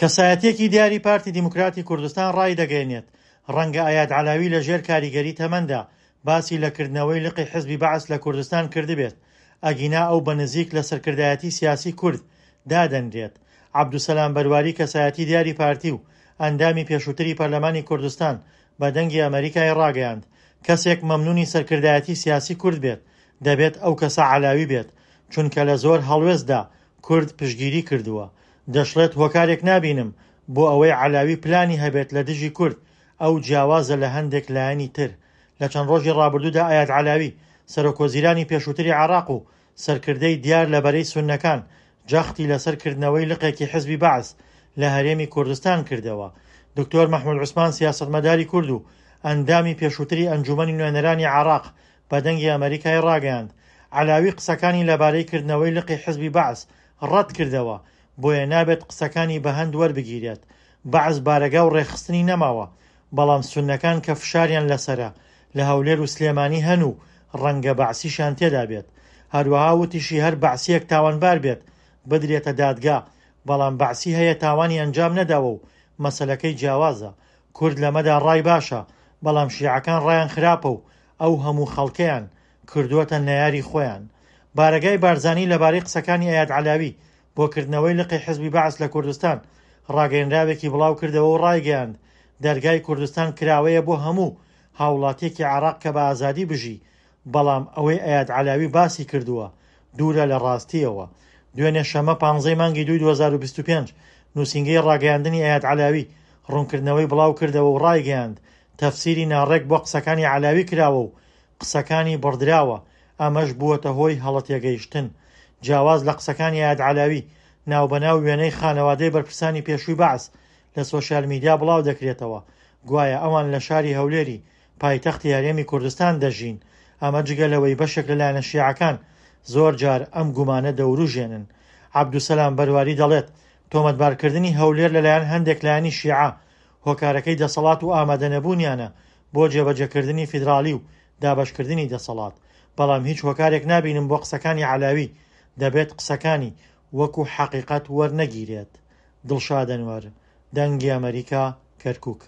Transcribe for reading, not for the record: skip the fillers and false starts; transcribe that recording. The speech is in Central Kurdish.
کەسایەتییەکی دیاری پارتی دیموکراتی کوردستان ڕایدەگەیەنێت، ڕەنگە ئەیاد عەلاوی لەژێر کاریگەری تەمەندا باسی لە کردنەوەی لقی حزبی بەعس لە کوردستان کردبێت، ئەگینا ئەو بە نزیک لە سەرکردایەتی سیاسی کورد دادەنرێت. عەبدولسەلام بەرواری کەسایەتی دیاری پارتی و ئەندامی پێشووتری پەرلەمانی کوردستان بە دەنگی ئەمەریکای ڕاگەیاند، کەسێک مەمنونی سەرکردایەتی سیاسی کورد بێت، دەبێت ئەو کەسە عەلاوی بێت، چونکە لە زۆر هەڵوێستدا کورد پشتگیری کردووە. دەشڵێت هۆکارێک نابینم بۆ ئەوەی عەلاوی پلانی هەبێت لە دژی کورد، ئەو جیاوازە لە هەندێک لایەنی تر. لە چەند ڕۆژی ڕابردوودا ئەیاد عەلاوی، سەرۆکوەزیرانی پێشووتری عێراق و سەرکردەی دیار لە بەرەی سوننەکان، جەختی لەسەر کردنەوەی لقێکی حزبی بەعس لە هەرێمی کوردستان کردەوە. دکتۆر مەحمود عوسمان سیاسەتمەداری کورد و ئەندامی پێشووتری ئەنجوومەنی نوێنەرانی عێراق بە دەنگی ئەمەریکای ڕاگەیاند، عەلاوی قسەکانی لەبارەی کردنەوەی لقی حزبی بەعس ڕەتکردەوە، بۆیە نابێت قسەکانی بە هەند وەربگیرێت. بەعس بارەگا و ڕێکخستنی نەماوە، بەڵام سوننەکان کە فشاریان لەسەرە لە هەولێر و سلێمانی هەن و ڕەنگە بەعسیشیان تێدا بێت. هەروەها وتیشی هەر بەعسییەک تاوانبار بێت بدرێتە دادگا، بەڵام بەعسی هەیە تاوانی ئەنجام نەداوە و مەسەلەکەی جیاوازە. کورد لەمەدا ڕای باشە، بەڵام شیعەکان ڕایان خراپە و ئەو هەموو خەڵکەیان کردووەتە نەیاری خۆیان. بارەگای بارزانی لەبارەی قسەکانی ئەیاد عەلاوی بۆ کردنەوەی لقی حزبی بەعس لە کوردستان ڕاگەیەنراوێکی بڵاوکردەوە و ڕایگەیاند، دەرگای کوردستان کراوەیە بۆ هەموو هاوڵاتیەکی عێراق کە بە ئازادی بژی، بەڵام ئەوەی ئەیاد عەلاوی باسی کردووە دوورە لە ڕاستییەوە. دوێنێ شەممە پانزەی مانگی دووی 2025 نووسینگەی ڕاگەیاندنی ئەیاد عەلاوی ڕوونکردنەوەی بڵاوکردەوە و ڕایگەیاند، تەفسیری ناڕێک بۆ قسەکانی عەلاوی کراوە و قسەکانی بڕدراوە، ئەمەش بووەتە هۆی هەڵەتێگەیشتن. جیاواز لە قسەکانی ئەیاد عەلاوی، ناوبەناو وێنەی خانەوادەی بەرپرسانی پێشووی بەعس لە سۆشیال میدیا بڵاودەکرێتەوە، گوایە ئەوان لە شاری هەولێری پایتەختی هەرێمی کوردستان دەژین، ئەمە جگە لەوەی بەشێک لە لایەنە شیعەکان زۆر جار ئەم گومانە دەوروژێنن. عەبدولسەلام بەرواری دەڵێت، تۆمەتبارکردنی هەولێر لەلایەن هەندێک لایەنی شیعە هۆکارەکەی دەسەڵات و ئامادەنەبوونیانە بۆ جێبەجێکردنی فیدراڵی و دابەشکردنی دەسەڵات، بەڵام هیچ هۆکارێک نابینم بۆ قسەکانی عەلاوی، دەبێت قسەکانی وەکو حەقیقەت وەرنەگیرێت. دڵشاد ئەنوەر، دەنگی ئەمەریکا، کەرکوک.